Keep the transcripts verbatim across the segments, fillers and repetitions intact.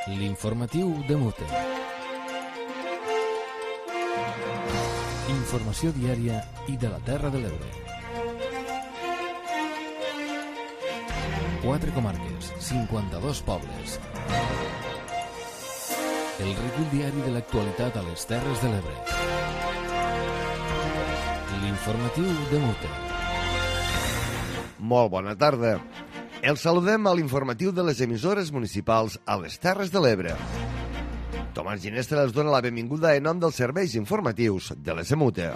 L'informatiu de Mute. Informació diària i de la Terra de l'Ebre. Quatre comarques, cinquanta-dos pobles. El recull diari de l'actualitat a les Terres de l'Ebre. L'informatiu de Mute. Molt bona tarda. Els saludem a l'informatiu de les emissores municipals a les Terres de l'Ebre. Tomàs Ginestra els dona la benvinguda en nom dels serveis informatius de les Emute.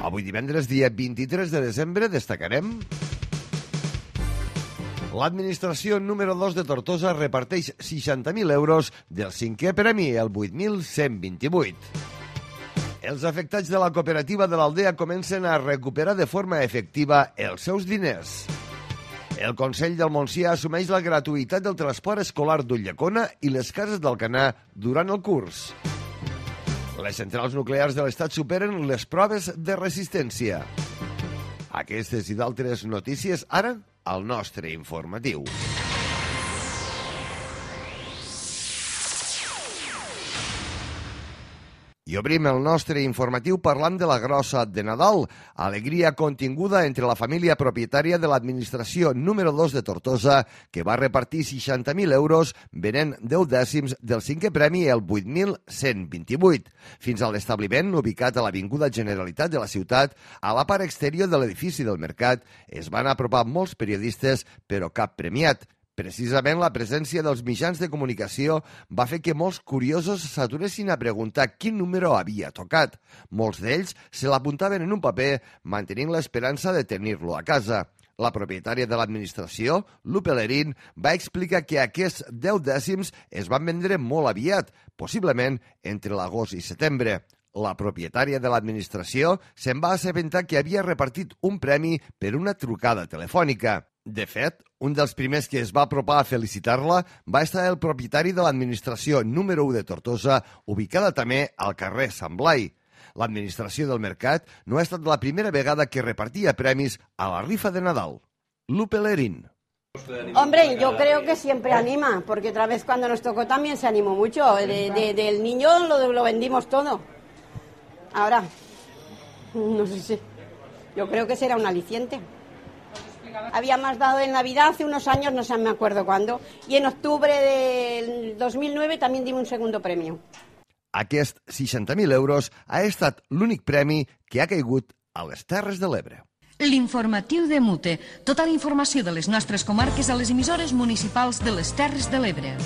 Avui divendres, dia vint-i-tres de desembre, destacarem: l'administració número dos de Tortosa reparteix seixanta mil euros del cinquè premi, el vuit mil cent vint-i-vuit. Els afectats de la cooperativa de l'Aldea comencen a recuperar de forma efectiva els seus diners. El Consell del Montsià assumeix la gratuïtat del transport escolar d'Ulldecona i les cases d'Alcanar durant el curs. Les centrals nuclears de l'Estat superen les proves de resistència. Aquestes i d'altres notícies ara al nostre informatiu. I obrim el nostre informatiu parlant de la grossa de Nadal, alegria continguda entre la família propietària de l'administració número dos de Tortosa, que va repartir seixanta mil euros venent deu dècims del cinquè premi, el vuit mil cent vint-i-vuit. Fins a l'establiment, ubicat a l'Avinguda Generalitat de la ciutat, a la part exterior de l'edifici del mercat, es van apropar molts periodistes, però cap premiat. Precisament la presència dels mitjans de comunicació va fer que molts curiosos s'aturessin a preguntar quin número havia tocat. Molts d'ells se l'apuntaven en un paper, mantenint l'esperança de tenir-lo a casa. La propietària de l'administració, Lupe Lerín, va explicar que aquests deu dècims es van vendre molt aviat, possiblement entre l'agost i setembre. La propietària de l'administració se'n va assabentar que havia repartit un premi per una trucada telefònica. De fet, un dels primers que es va apropar a felicitar-la va estar el propietari de l'administració número u de Tortosa, ubicada també al carrer Sant Blai. L'administració del mercat no ha estat la primera vegada que repartia premis a la rifa de Nadal. Lupe Lerín. Hombre, yo creo que siempre anima, porque otra vez cuando nos tocó también se animó mucho. De, de, del niño lo, lo vendimos todo. Ahora, no sé si... Yo creo que será un aliciente. Habíamos dado en Navidad hace unos años, no sé, me acuerdo cuándo, y en octubre del dos mil nueve también dimos un segundo premio. Aquest seixanta mil euros ha estat l'únic premi que ha caigut a les Terres de l'Ebre. L'informatiu de Mute. Tota la informació de les nostres comarques a les emissores municipals de les Terres de l'Ebre.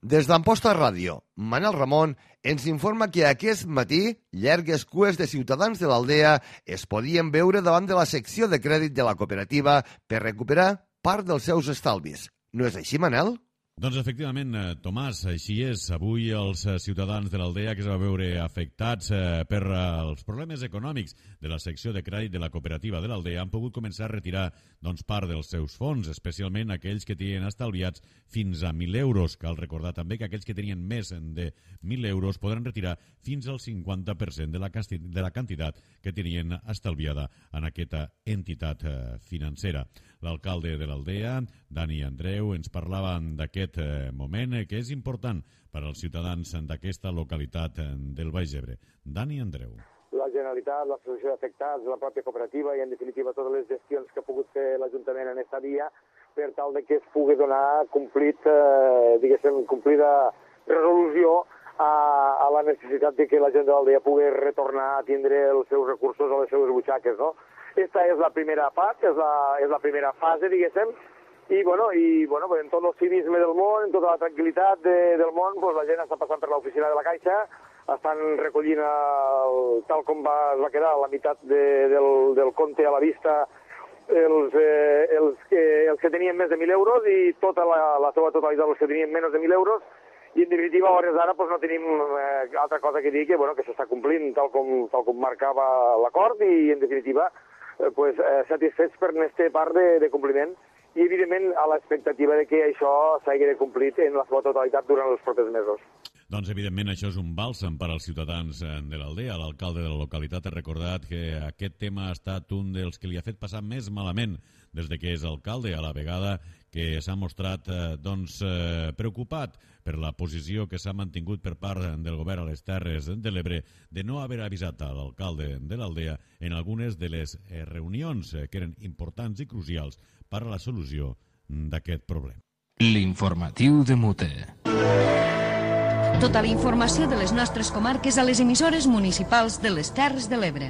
Des d'Amposta Ràdio, Manel Ramon ens informa que aquest matí llargues cues de ciutadans de l'Aldea es podien veure davant de la secció de crèdit de la cooperativa per recuperar part dels seus estalvis. No és així, Manel? Doncs efectivament, Tomàs, així és. Avui els ciutadans de l'Aldea que es va veure afectats per els problemes econòmics de la secció de crèdit de la cooperativa de l'Aldea han pogut començar a retirar doncs, part dels seus fons, especialment aquells que tenien estalviats fins a mil euros. Cal recordar també que aquells que tenien més de mil euros podran retirar fins al cinquanta per cent de la, de la quantitat que tenien estalviada en aquesta entitat financera. L'alcalde de l'Aldea, Dani Andreu, ens parlava d'aquest moment que és important per als ciutadans d'aquesta localitat del Baix Ebre. Dani Andreu. La Generalitat, l'Associació d'Afectats, la pròpia cooperativa i, en definitiva, totes les gestions que ha pogut fer l'Ajuntament en aquesta via per tal de que es pugui donar complit, eh, diguéssim, complida resolució a, a la necessitat de que la gent de l'Aldea pugui retornar a tindre els seus recursos a les seves butxaques, no? Esta és la primera part, és la, és la primera fase, diguéssim, i, bueno, i bueno, en tot el civisme del món, en tota la tranquil·litat de, del món, pues, la gent està passant per l'oficina de la Caixa, estan recollint, el, tal com va, es va quedar, la meitat de, del, del compte a la vista, els, eh, els, que, els que tenien més de mil euros i tota la, la seva totalitat, els que tenien menys de mil euros, i en definitiva, a hores d'ara, pues, no tenim eh, altra cosa que dir que, bueno, que s'està complint tal com, tal com marcava l'acord i, en definitiva, eh, pues, eh, satisfets per aquesta part de, de compliment i, evidentment, a l'expectativa de que això s'hagi de complir en la seva totalitat durant els propers mesos. Doncs, evidentment, això és un bàlsam per als ciutadans de l'Aldea. L'alcalde de la localitat ha recordat que aquest tema ha estat un dels que li ha fet passar més malament des de que és alcalde, a la vegada que s'ha mostrat eh, doncs, eh, preocupat per la posició que s'ha mantingut per part del govern a les Terres de l'Ebre de no haver avisat a l'alcalde de l'Aldea en algunes de les eh, reunions eh, que eren importants i crucials per a la solució d'aquest problema. L'informatiu de Mute. Tota la informació de les nostres comarques a les emissores municipals de les Terres de l'Ebre.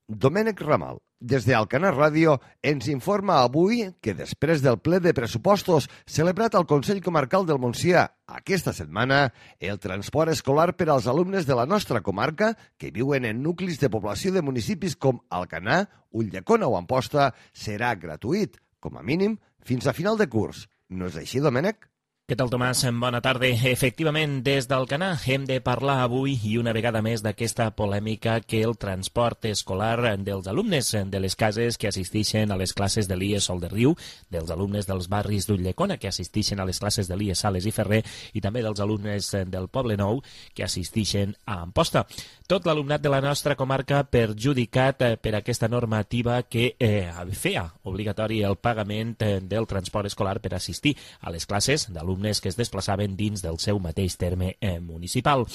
Domènec Ramal, des d'Alcanar Ràdio, ens informa avui que després del ple de pressupostos celebrat al Consell Comarcal del Montsià aquesta setmana, el transport escolar per als alumnes de la nostra comarca que viuen en nuclis de població de municipis com Alcanar, Ulldecona o Amposta serà gratuït, com a mínim, fins a final de curs. No és així, Domènec? Què tal, Tomàs? Bona tarda. Efectivament, des d'Alcanar hem de parlar avui i una vegada més d'aquesta polèmica que el transport escolar dels alumnes de les cases que assisteixen a les classes de l'I E Sol de Riu, dels alumnes dels barris d'Ulldecona que assisteixen a les classes de l'I E Sales i Ferrer i també dels alumnes del Poble Nou que assisteixen a Amposta. Tot l'alumnat de la nostra comarca perjudicat per aquesta normativa que eh, feia obligatori el pagament del transport escolar per assistir a les classes d'alumnes que es desplaçaven dins del seu mateix terme eh, municipal.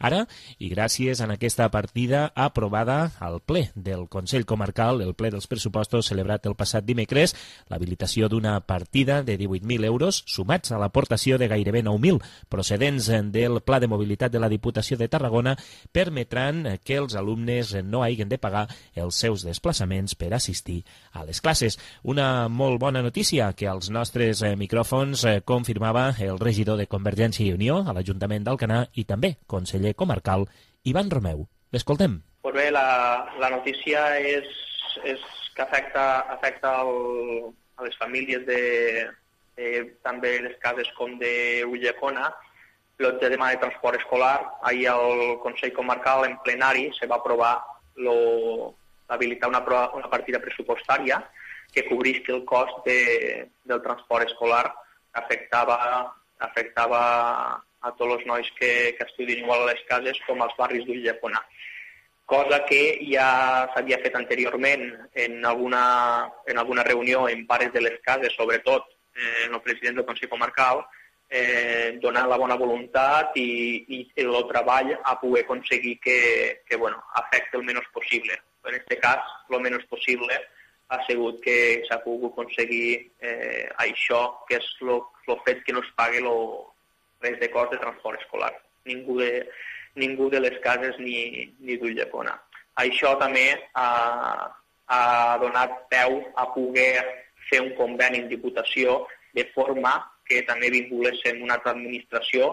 Ara, i gràcies a aquesta partida aprovada al ple del Consell Comarcal, el ple dels pressupostos celebrat el passat dimecres, l'habilitació d'una partida de divuit mil euros sumats a l'aportació de gairebé nou mil procedents del Pla de Mobilitat de la Diputació de Tarragona permetran que els alumnes no hagin de pagar els seus desplaçaments per assistir a les classes. Una molt bona notícia que als nostres eh, micròfons eh, confirmava el regidor de Convergència i Unió a l'Ajuntament d'Alcanar i també conseller comarcal, Ivan Romeu. L'escoltem. Pues bé, la, la notícia és, és que afecta, afecta el, a les famílies de, de també les cases com de Ulldecona, el tema de transport escolar. Ahir al Consell Comarcal en plenari se va aprovar lo, habilitar una, una partida pressupostària que cobrisqui el cost de, del transport escolar que afectava, afectava a tots els nois que, que estudien igual a les cases com als barris d'Ulldecona. Cosa que ja s'havia fet anteriorment en alguna, en alguna reunió en pares de les cases, sobretot eh, el president del Consell Comarcal, eh, donant la bona voluntat i, i el treball a poder aconseguir que, que bueno, afecte el menys possible. En aquest cas, el menys possible ha sigut que s'ha pogut aconseguir eh, això, que és el fet que no es pagui lo, res de cost de transport escolar. Ningú de, ningú de les cases ni, ni d'Ulldecona. Això també ha, ha donat peu a poder fer un conveni en Diputació de forma que també vinculéssim una altra administració,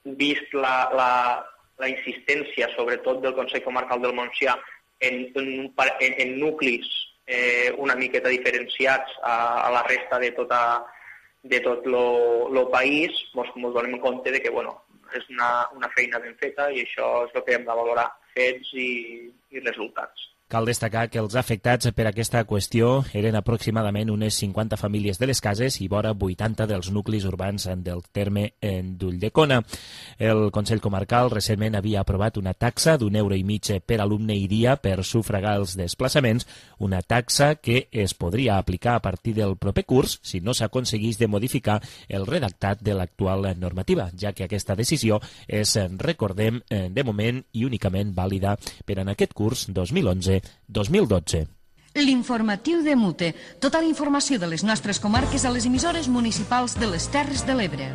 vist la, la, la insistència, sobretot del Consell Comarcal del Montsià, en, en, en, en nuclis Eh, una miqueta diferenciats a, a la resta de, tota, de tot el país, ens donem compte de que bueno, és una, una feina ben feta i això és el que hem de valorar, fets i, i resultats. Cal destacar que els afectats per aquesta qüestió eren aproximadament unes cinquanta famílies de les cases i vora vuitanta dels nuclis urbans del terme d'Ulldecona. El Consell Comarcal recentment havia aprovat una taxa d'un euro i mig per alumne i dia per sufragar els desplaçaments, una taxa que es podria aplicar a partir del proper curs si no s'aconseguís de modificar el redactat de l'actual normativa, ja que aquesta decisió és, recordem, de moment i únicament vàlida per en aquest curs dos mil onze dos mil dotze. L'informatiu de Mute. Tota la informació de les nostres comarques a les emissores municipals de les Terres de l'Ebre.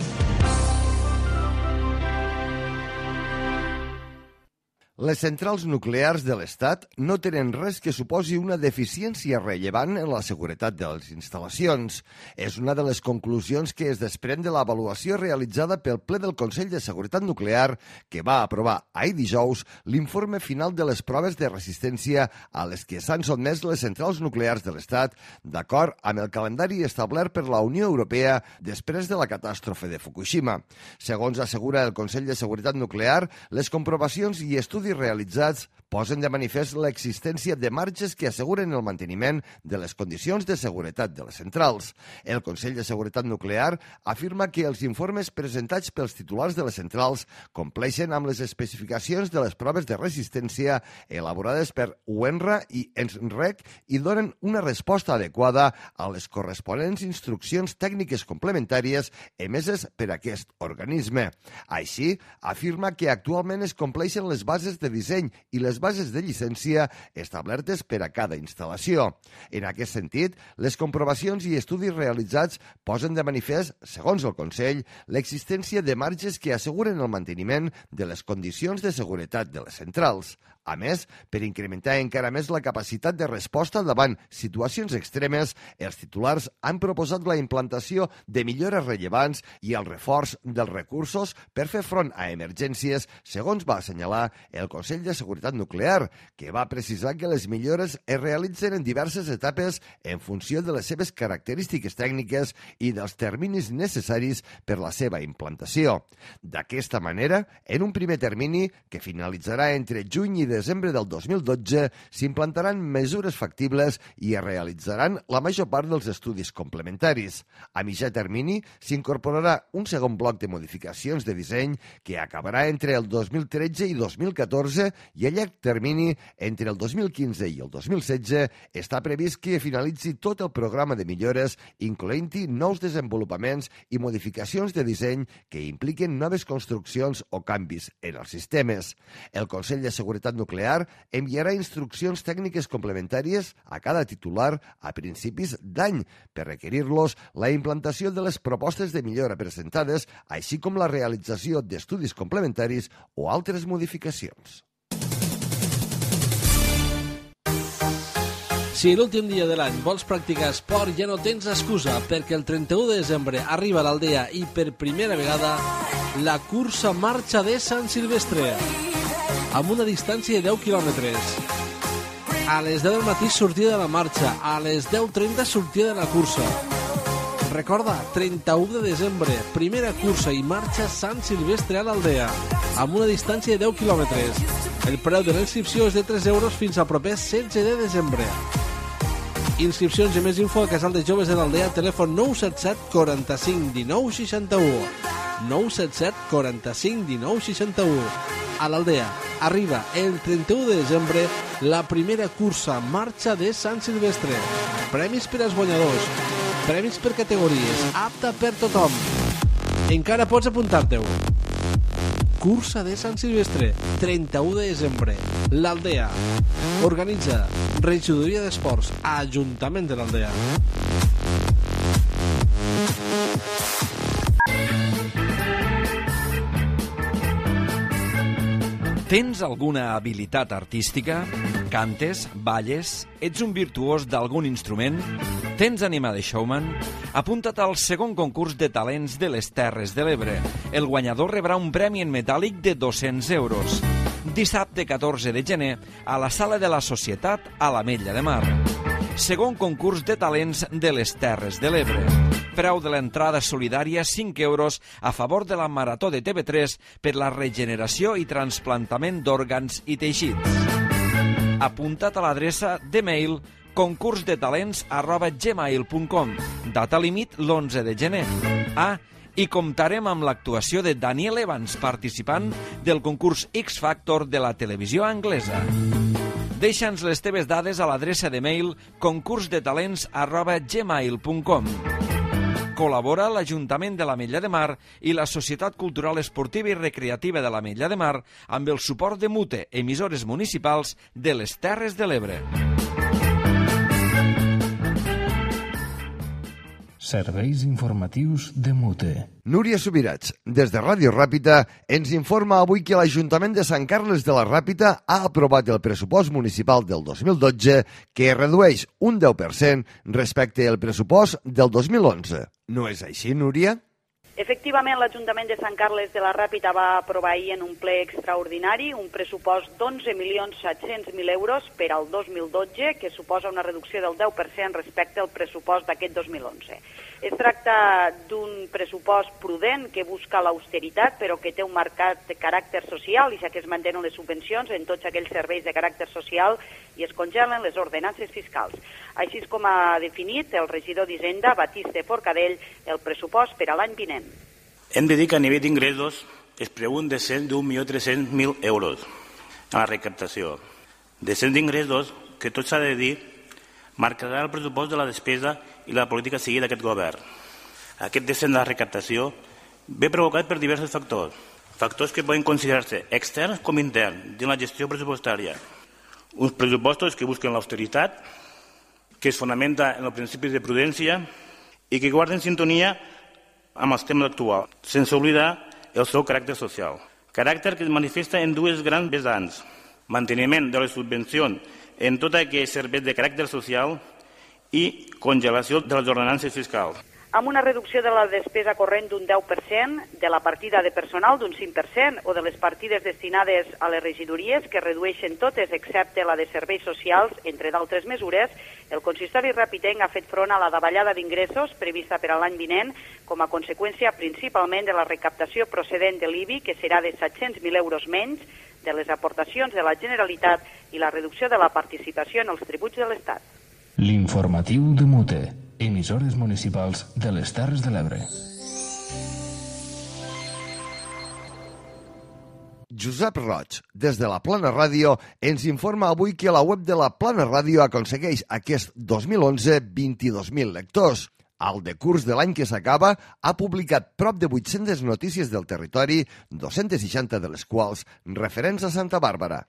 Les centrals nuclears de l'Estat no tenen res que suposi una deficiència rellevant en la seguretat de les instal·lacions. És una de les conclusions que es desprèn de l'avaluació realitzada pel ple del Consell de Seguretat Nuclear que va aprovar ahir dijous l'informe final de les proves de resistència a les que s'han sotmès les centrals nuclears de l'Estat d'acord amb el calendari establert per la Unió Europea després de la catàstrofe de Fukushima. Segons assegura el Consell de Seguretat Nuclear, les comprovacions i estudis realitzats posen de manifest l'existència de marges que asseguren el manteniment de les condicions de seguretat de les centrals. El Consell de Seguretat Nuclear afirma que els informes presentats pels titulars de les centrals compleixen amb les especificacions de les proves de resistència elaborades per U N R A i ENSREC i donen una resposta adequada a les corresponents instruccions tècniques complementàries emeses per aquest organisme. Així, afirma que actualment es compleixen les bases de disseny i les bases de llicència establertes per a cada instal·lació. En aquest sentit, les comprovacions i estudis realitzats posen de manifest, segons el Consell, l'existència de marges que asseguren el manteniment de les condicions de seguretat de les centrals. A més, per incrementar encara més la capacitat de resposta davant situacions extremes, els titulars han proposat la implantació de millores rellevants i el reforç dels recursos per fer front a emergències, segons va assenyalar el Consell de Seguretat Nuclear, que va precisar que les millores es realitzen en diverses etapes en funció de les seves característiques tècniques i dels terminis necessaris per la seva implantació. D'aquesta manera, en un primer termini, que finalitzarà entre juny i desembre del dos mil dotze, s'implantaran mesures factibles i es realitzaran la major part dels estudis complementaris. A mitjà termini s'incorporarà un segon bloc de modificacions de disseny que acabarà entre el dos mil tretze i dos mil catorze i a llarg termini, entre el dos mil quinze i el dos mil setze, està previst que finalitzi tot el programa de millores, incloent-hi nous desenvolupaments i modificacions de disseny que impliquen noves construccions o canvis en els sistemes. El Consell de Seguretat Nuclear enviarà instruccions tècniques complementàries a cada titular a principis d'any per requerir-los la implantació de les propostes de millora presentades, així com la realització d'estudis complementaris o altres modificacions. Si l'últim dia de l'any vols practicar esport, ja no tens excusa, perquè el trenta-u de desembre arriba a l'Aldea i per primera vegada la cursa marxa de Sant Silvestre, amb una distància de deu quilòmetres. A les deu del matí sortida de la marxa, a les deu trenta sortida de la cursa. Recorda, trenta-u de desembre, primera cursa i marxa Sant Silvestre a l'Aldea, amb una distància de deu quilòmetres. El preu de la inscripció és de tres euros fins al proper setze de desembre. Inscripcions i més info a Casal de Joves de l'Aldea, telèfon nou set set quaranta-cinc dinou seixanta-u. nou set set quaranta-cinc dinou seixanta-u. A l'Aldea arriba el trenta-u de desembre la primera cursa marxa de Sant Silvestre. Premis per als guanyadors, premis per categories, apta per tothom. Encara pots apuntar-te-ho. Cursa de Sant Silvestre, trenta-u de desembre, l'Aldea. Organitza Regidoria d'Esports, Ajuntament de l'Aldea. Tens alguna habilitat artística? Cantes? Balles? Ets un virtuós d'algun instrument? Tens ànima de showman? Apunta't al segon concurs de talents de les Terres de l'Ebre. El guanyador rebrà un premi en metàl·lic de dos-cents euros. Dissabte catorze de gener a la Sala de la Societat a l'Ametlla de Mar. Segon concurs de talents de les Terres de l'Ebre. Preu de l'entrada solidària cinc euros a favor de la Marató de T V tres per la regeneració i trasplantament d'òrgans i teixits. Apunta't a l'adreça de mail concursdetalents arroba gmail punt com. Data límit l'onze de gener. Ah, i comptarem amb l'actuació de Daniel Evans, participant del concurs X Factor de la televisió anglesa. Deixa'ns les teves dades a l'adreça de mail concursdetalents arroba gmail punt com. Col·labora l'Ajuntament de l'Ametlla de Mar i la Societat Cultural Esportiva i Recreativa de l'Ametlla de Mar amb el suport de Mute, emissores municipals de les Terres de l'Ebre. Serveis informatius de Mute. Núria Subirats, des de Ràdio Ràpita, ens informa avui que l'Ajuntament de Sant Carles de la Ràpita ha aprovat el pressupost municipal del dos mil dotze, que redueix un deu per cent respecte al pressupost del dos mil onze. No és així, Núria? Efectivament, l'Ajuntament de Sant Carles de la Ràpita va aprovar ahir en un ple extraordinari un pressupost d'onze milions set-cents mil euros per al dos mil dotze, que suposa una reducció del deu per cent respecte al pressupost d'aquest dos mil onze. Es tracta d'un pressupost prudent que busca l'austeritat, però que té un marcat de caràcter social, i ja que es mantenen les subvencions en tots aquells serveis de caràcter social i es congelen les ordenances fiscals. Així és com ha definit el regidor d'Hisenda, Batiste Forcadell, el pressupost per a l'any vinent. Hem de dir que a nivell d'ingressos es preveu un descens d'un milió tres-cents mil euros a la recaptació. Descens d'ingressos que, tot s'ha de dir, marcarà el pressupost de la despesa i la política a seguir d'aquest govern. Aquest descens de la recaptació ve provocat per diversos factors, factors que poden considerar-se externs com interns de la gestió pressupostària. Uns pressupostos que busquen l'austeritat, que es fonamenta en els principis de prudència i que guarden sintonia amb els temes actuals, sense oblidar el seu caràcter social. Caràcter que es manifesta en dues grans vessants: manteniment de les subvencions en tot aquells serveis de caràcter social i congelació de les ordenances fiscals. Amb una reducció de la despesa corrent d'un deu per cent, de la partida de personal d'un cinc per cent o de les partides destinades a les regidories, que redueixen totes excepte la de serveis socials, entre d'altres mesures, el consistori ripollenc ha fet front a la davallada d'ingressos prevista per a l'any vinent com a conseqüència principalment de la recaptació procedent de l'I B I, que serà de set-cents mil euros menys, de les aportacions de la Generalitat i la reducció de la participació en els tributs de l'Estat. L'informatiu de Mute, emissores municipals de les Terres de l'Ebre. Josep Roig, des de la Plana Ràdio, ens informa avui que la web de la Plana Ràdio aconsegueix aquest dos mil onze vint-i-dos mil lectors. Al decurs de l'any que s'acaba, ha publicat prop de vuit-centes notícies del territori, dos-cents seixanta de les quals referents a Santa Bàrbara.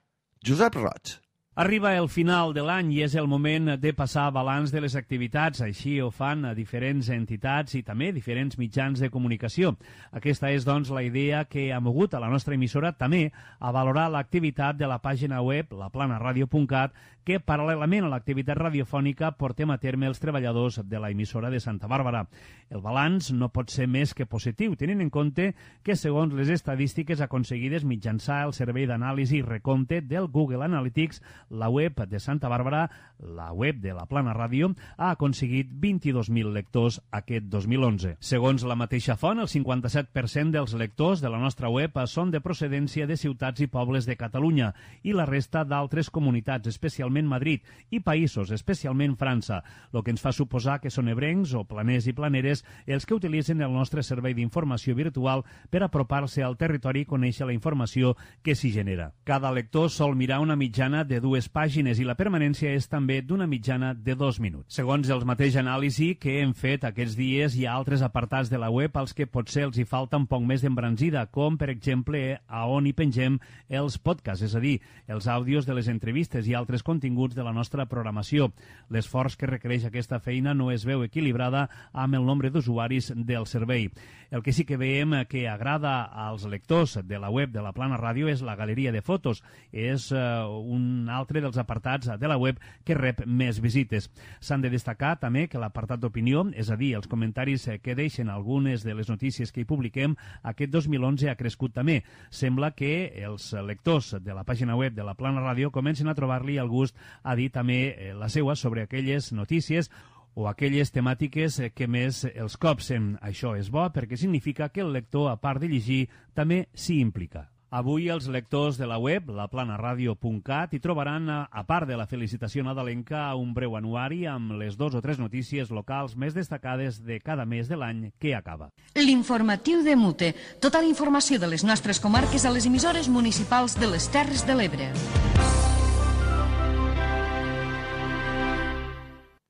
Josep Roig. Arriba el final de l'any i és el moment de passar balanç de les activitats. Així ho fan a diferents entitats i també diferents mitjans de comunicació. Aquesta és, doncs, la idea que ha mogut a la nostra emissora també a valorar l'activitat de la pàgina web la plana ràdio punt cat, que paral·lelament a l'activitat radiofònica portem a terme els treballadors de la emissora de Santa Bàrbara. El balanç no pot ser més que positiu, tenint en compte que, segons les estadístiques aconseguides mitjançant el servei d'anàlisi i recompte del Google Analytics, la web de Santa Bàrbara, la web de la Plana Ràdio, ha aconseguit vint-i-dos mil lectors aquest dos mil onze. Segons la mateixa font, el cinquanta-set per cent dels lectors de la nostra web són de procedència de ciutats i pobles de Catalunya i la resta d'altres comunitats, especialment Madrid, i països, especialment França, el que ens fa suposar que són ebrencs o planers i planeres els que utilitzen el nostre servei d'informació virtual per apropar-se al territori i conèixer la informació que s'hi genera. Cada lector sol mirar una mitjana de dues pàgines i la permanència és també d'una mitjana de dos minuts. Segons els mateix anàlisi que hem fet aquests dies, hi ha altres apartats de la web als que potser els hi falta un poc més d'embranzida, com per exemple a on hi pengem els podcasts, és a dir, els àudios de les entrevistes i altres continguts de la nostra programació. L'esforç que requereix aquesta feina no es veu equilibrada amb el nombre d'usuaris del servei. El que sí que veiem que agrada als lectors de la web de la Plana Ràdio és la galeria de fotos. És uh, un altre dels apartats de la web que rep més visites. S'han de destacar també que l'apartat d'opinió, és a dir, els comentaris que deixen algunes de les notícies que hi publiquem, aquest dos mil onze ha crescut també. Sembla que els lectors de la pàgina web de la Plana Ràdio comencen a trobar-li el gust a dir també la seua sobre aquelles notícies o aquelles temàtiques que més els copsen. Això és bo perquè significa que el lector, a part de llegir, també s'hi implica. Avui els lectors de la web, la plana ràdio punt cat, hi trobaran, a part de la felicitació nadalenca, un breu anuari amb les dos o tres notícies locals més destacades de cada mes de l'any que acaba. L'informatiu de Mute. Tota la informació de les nostres comarques a les emissores municipals de les Terres de l'Ebre.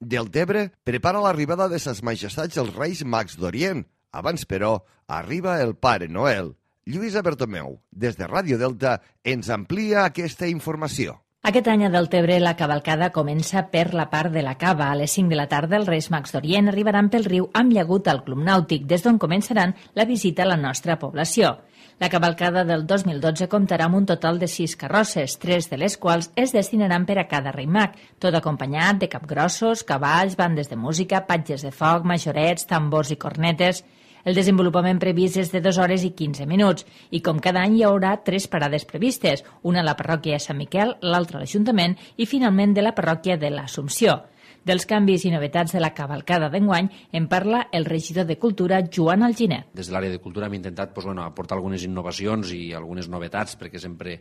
Deltebre prepara l'arribada de ses majestats els Reis Mags d'Orient. Abans, però, arriba el Pare Noel. Lluïsa Bertomeu, des de Ràdio Delta, ens amplia aquesta informació. Aquest any a Deltebre la cavalcada comença per la part de la Cava. A les cinc de la tarda els Reis Mags d'Orient arribaran pel riu amb llagut al Club Nàutic, des d'on començaran la visita a la nostra població. La cavalcada del dos mil dotze comptarà amb un total de sis carrosses, tres de les quals es destinaran per a cada rei mag, tot acompanyat de capgrossos, cavalls, bandes de música, patges de foc, majorets, tambors i cornetes. El desenvolupament previst és de dues hores i quinze minuts i com cada any hi haurà tres parades previstes, una a la parròquia de Sant Miquel, l'altra a l'Ajuntament i finalment de la parròquia de l'Assumpció. Dels canvis i novetats de la cavalcada d'enguany en parla el regidor de Cultura, Joan Alginet. Des de l'àrea de Cultura hem intentat pues, bueno, aportar algunes innovacions i algunes novetats perquè sempre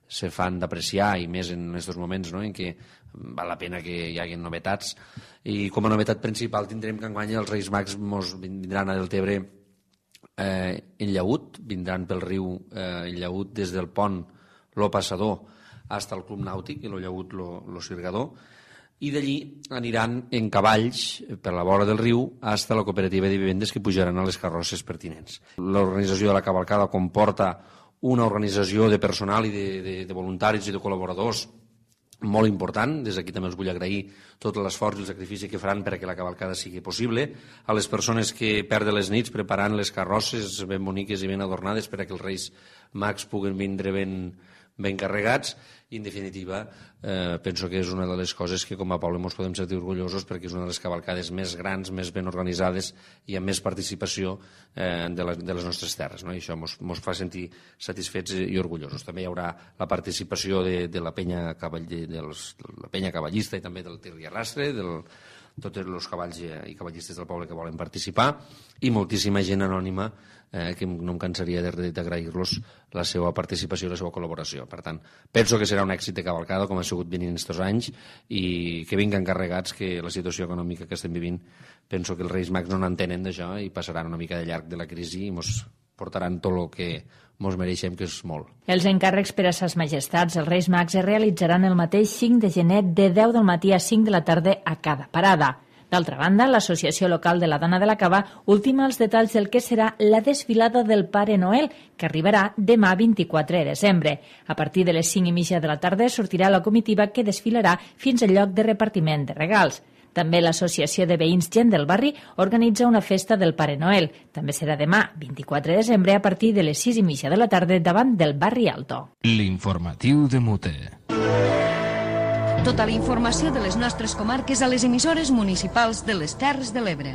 se fan d'apreciar i més en aquests moments no? En què val la pena que hi hagi novetats. I com a novetat principal tindrem que enguany els Reis Mags mos vindran a Deltebre eh, en llaüt, vindran pel riu eh, en llaüt des del pont Lo Passador fins al Club Nàutic, i el llaüt Lo, lo Sirgador, i d'allí aniran en cavalls per la vora del riu fins a la cooperativa de vivendes que pujaran a les carrosses pertinents. L'organització de la cavalcada comporta una organització de personal i de, de, de voluntaris i de col·laboradors molt important. Des d'aquí també us vull agrair tot l'esforç i el sacrifici que faran perquè la cavalcada sigui possible. A les persones que perden les nits preparant les carrosses ben boniques i ben adornades perquè els Reis Mags puguen vindre ben, ben carregats. I, en definitiva, eh, penso que és una de les coses que com a poble ens podem sentir orgullosos perquè és una de les cavalcades més grans, més ben organitzades i amb més participació eh, de, les, de les nostres terres. No? I això ens fa sentir satisfets i orgullosos. També hi haurà la participació de, de, la, penya cavall, de, dels, de la penya cavallista i també del tir i arrastre, del, tots els cavalls i cavallistes del poble que volen participar, i moltíssima gent anònima eh, que no em cansaria d'agrair-los la seva participació i la seva col·laboració. Per tant, penso que serà un èxit de cavalcada, com ha sigut venint aquests anys, i que vinguen carregats, que la situació econòmica que estem vivint, penso que els Reis Mags no n'entenen d'això i passaran una mica de llarg de la crisi i mos portaran tot el que mos mereixem, que és molt. Els encàrrecs per a ses majestats, els Reis Mags, es realitzaran el mateix cinc de gener de deu del matí a cinc de la tarda a cada parada. D'altra banda, l'Associació Local de la Dona de la Cava ultima els detalls del que serà la desfilada del Pare Noel, que arribarà demà vint-i-quatre de desembre. A partir de les cinc i mitja de la tarda sortirà la comitiva que desfilarà fins al lloc de repartiment de regals. També l'Associació de Veïns Gent del Barri organitza una festa del Pare Noel. També serà demà, vint-i-quatre de desembre, a partir de les sis i mitja de la tarda davant del Barri Alto. L'informatiu de Mute. Tota la informació de les nostres comarques a les emissores municipals de les Terres de l'Ebre.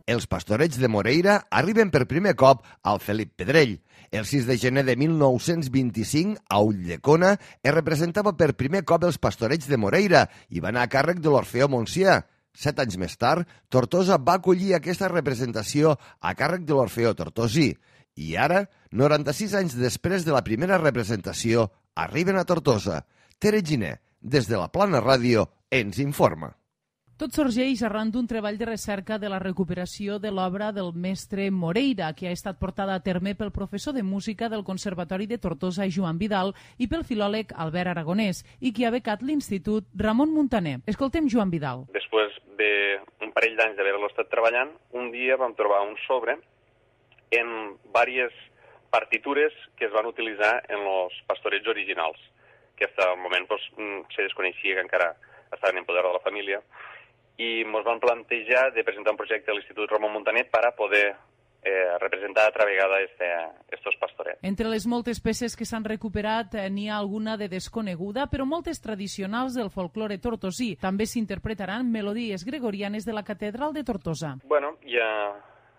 Els Pastorets de Moreira arriben per primer cop al Felip Pedrell. El sis de gener de mil nou-cents vint-i-cinc, a Ulldecona, es representava per primer cop els Pastorets de Moreira i va anar a càrrec de l'Orfeó Montsià. Set anys més tard, Tortosa va acollir aquesta representació a càrrec de l'Orfeó Tortosí. I ara, noranta-sis anys després de la primera representació, arriben a Tortosa. Tere Giner, des de la Plana Ràdio, ens informa. Tot sorgeix arran d'un treball de recerca de la recuperació de l'obra del mestre Moreira, que ha estat portada a terme pel professor de música del Conservatori de Tortosa, Joan Vidal, i pel filòleg Albert Aragonès, i qui ha becat l'Institut Ramon Muntaner. Escoltem Joan Vidal. Després d'un parell d'anys d'haver-lo estat treballant, un dia vam trobar un sobre en diverses partitures que es van utilitzar en els pastorets originals, que fins al moment pues, se desconeixia que encara estaven en poder de la família, i ens van plantejar de presentar un projecte a l'Institut Ramon Muntaner per a poder eh, representar altra vegada aquests pastorets. Entre les moltes peces que s'han recuperat eh, n'hi ha alguna de desconeguda, però moltes tradicionals del folklore tortosí. També s'interpretaran melodies gregorianes de la Catedral de Tortosa. Bueno, hi ha...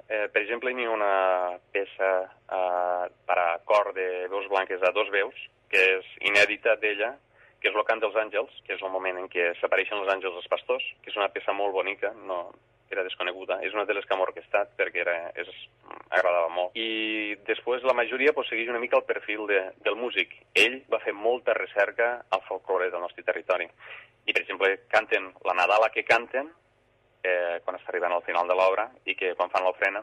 Eh, per exemple, hi ha una peça eh, per a cor de veus blanques a dos veus, que és inèdita d'ella, que és el cant dels àngels, que és el moment en què s'apareixen els àngels als pastors, que és una peça molt bonica, no era desconeguda. És una de les que hem orquestat perquè era, és, agradava molt. I després la majoria pues, segueix una mica el perfil de, del músic. Ell va fer molta recerca al folklore del nostre territori. I, per exemple, canten la Nadala que canten, Eh, quan està arribant al final de l'obra, i que quan fan l'ofrena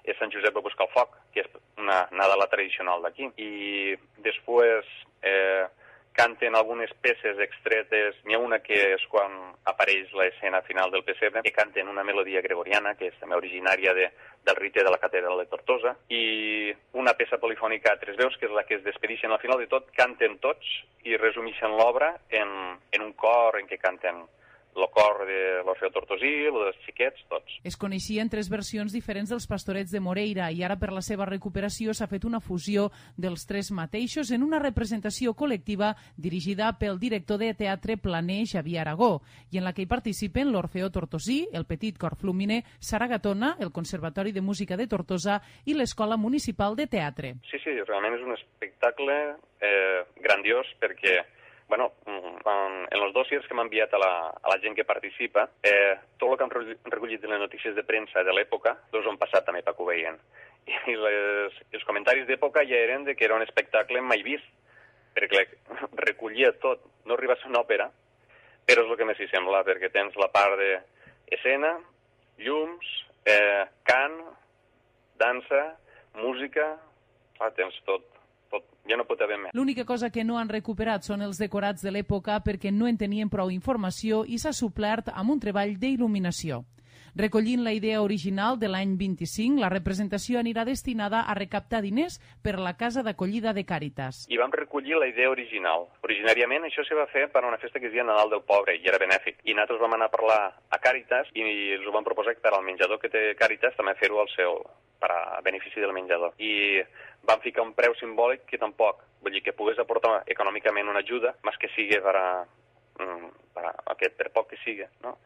és Sant Josep va buscar el foc, que és una Nadala tradicional d'aquí. I després eh, canten algunes peces extretes. N'hi ha una que és quan apareix l'escena final del pessebre, que canten una melodia gregoriana, que és també originària de, del rite de la Catedral de Tortosa, i una peça polifònica a tres veus, que és la que es despedixen al final de tot, canten tots i resumeixen l'obra en, en un cor en què canten el cor de l'Orfeo Tortosí, el dels xiquets, tots. Es coneixien tres versions diferents dels Pastorets de Moreira i ara per la seva recuperació s'ha fet una fusió dels tres mateixos en una representació col·lectiva dirigida pel director de teatre planer Xavier Aragó i en la que hi participen l'Orfeo Tortosí, el Petit Cor Flumine, Saragatona, el Conservatori de Música de Tortosa i l'Escola Municipal de Teatre. Sí, sí, realment és un espectacle eh, grandiós perquè bueno, en els dossiers que m'ha enviat a la, a la gent que participa, eh, tot el que han recollit de les notícies de premsa de l'època, doncs ho han passat també perquè ho veien. I les, els comentaris d'època ja eren de que era un espectacle mai vist, perquè recollia tot, no arriba a ser una òpera, però és el que més hi sembla, perquè tens la part d'escena, llums, eh, cant, dansa, música, ah, tens tot. Tot, ja no pot haver més. L'única cosa que no han recuperat són els decorats de l'època perquè no en tenien prou informació i s'ha suplert amb un treball d'il·luminació. Recollint la idea original de l'any vint-i-cinc, la representació anirà destinada a recaptar diners per a la Casa d'Acollida de Càritas. I vam recollir la idea original. Originàriament això se va fer per a una festa que es deia Nadal del Pobre i era benèfic. I nosaltres vam anar a parlar a Càritas i els ho vam proposar per al menjador que té Càritas també fer-ho al seu, per a benefici del menjador. I van ficar un preu simbòlic que tampoc, vull dir que pogués aportar econòmicament una ajuda, més que sigui per a, per a aquest, per poc que sigui, no?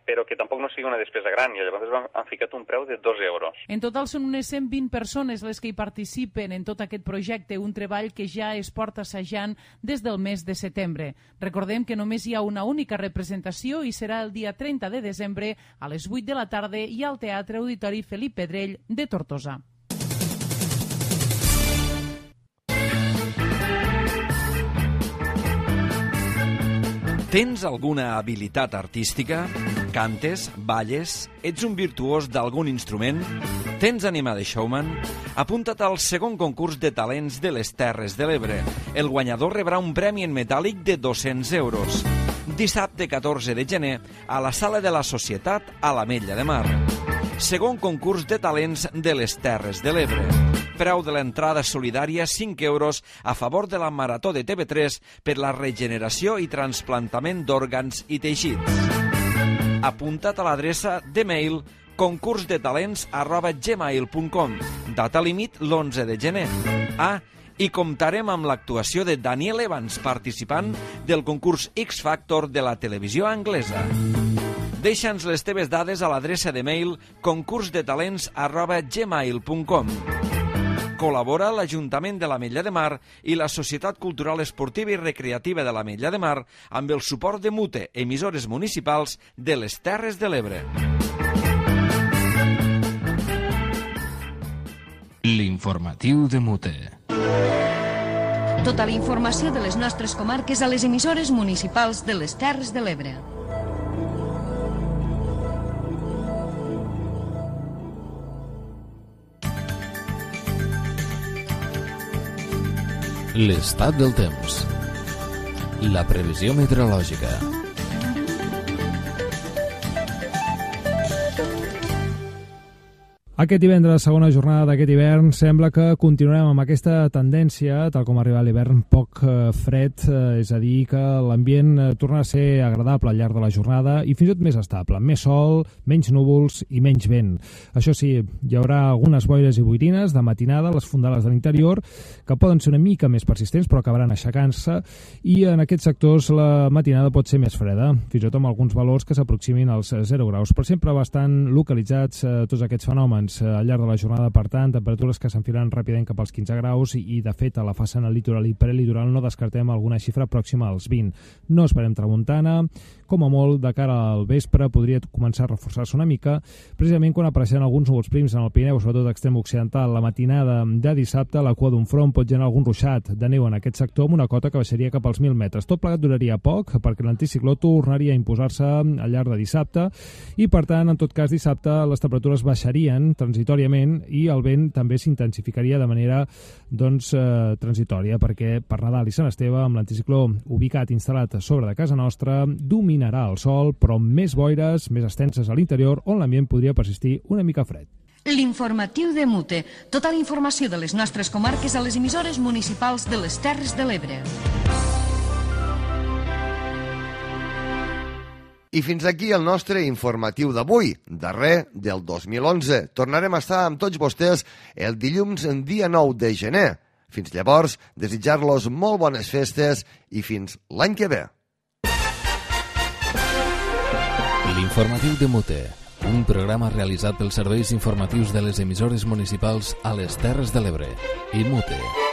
Però que tampoc no sigui una despesa gran, i llavors han, han ficat un preu de dos euros. En total són unes cent vint persones les que hi participen en tot aquest projecte, un treball que ja es porta assajant des del mes de setembre. Recordem que només hi ha una única representació i serà el dia trenta de desembre a les vuit de la tarda i al Teatre Auditori Felip Pedrell de Tortosa. Tens alguna habilitat artística? Cantes? Balles? Ets un virtuós d'algun instrument? Tens ànima de showman? Apunta't al segon concurs de talents de les Terres de l'Ebre. El guanyador rebrà un premi en metàl·lic de dos-cents euros. Dissabte catorze de gener a la Sala de la Societat a l'Ametlla de Mar. Segon concurs de talents de les Terres de l'Ebre. Preu de l'entrada solidària cinc euros a favor de la Marató de T V tres per la regeneració i trasplantament d'òrgans i teixits. Apunta't a l'adreça de mail concursdetalents arroba gmail punt com. Data límit l'onze de gener. Ah, i comptarem amb l'actuació de Daniel Evans, participant del concurs X Factor de la televisió anglesa. Deixa'ns les teves dades a l'adreça de mail concursdetalents arroba gmail punt com. Col·labora l'Ajuntament de l'Ametlla de Mar i la Societat Cultural Esportiva i Recreativa de l'Ametlla de Mar amb el suport de Mute, emissores municipals de les Terres de l'Ebre. L'informatiu de Mute. Tota la informació de les nostres comarques a les emissores municipals de les Terres de l'Ebre. L'estat del temps. La previsió meteorològica. Aquest divendres, segona jornada d'aquest hivern, sembla que continuarem amb aquesta tendència, tal com arriba l'hivern poc fred, és a dir, que l'ambient torna a ser agradable al llarg de la jornada i fins i tot més estable, més sol, menys núvols i menys vent. Això sí, hi haurà algunes boires i boirines de matinada a les fondales de l'interior que poden ser una mica més persistents però acabaran aixecant-se i en aquests sectors la matinada pot ser més freda, fins i tot amb alguns valors que s'aproximin als zero graus, però sempre bastant localitzats eh, tots aquests fenòmens al llarg de la jornada, per tant, temperatures que s'enfilaran ràpidament cap als quinze graus i, i de fet, a la façana litoral i prelitoral no descartem alguna xifra pròxima als vint. No esperem tramuntana, com a molt, de cara al vespre podria començar a reforçar-se una mica, precisament quan apareixen alguns núvols prims en el Pirineu, sobretot extrem occidental. La matinada de dissabte, la cua d'un front pot generar algun ruixat de neu en aquest sector amb una cota que baixaria cap als mil metres. Tot plegat duraria poc, perquè l'anticicló tornaria a imposar-se al llarg de dissabte i, per tant, en tot cas, dissabte les temperatures baixarien transitòriament i el vent també s'intensificaria de manera doncs, eh, transitòria, perquè per Nadal i Sant Esteve, amb l'anticicló ubicat, instal·lat sobre de casa nostra, dominarà el sol, però amb més boires, més extenses a l'interior, on l'ambient podria persistir una mica fred. L'informatiu de Mute. Tota la informació de les nostres comarques a les emissores municipals de les Terres de l'Ebre. I fins aquí el nostre informatiu d'avui, darrer del dos mil onze. Tornarem a estar amb tots vostès el dilluns dia nou de gener. Fins llavors, desitjar-los molt bones festes i fins l'any que ve. L'informatiu de Mute, un programa realitzat pels serveis informatius de les emissores municipals a les Terres de l'Ebre i Mute.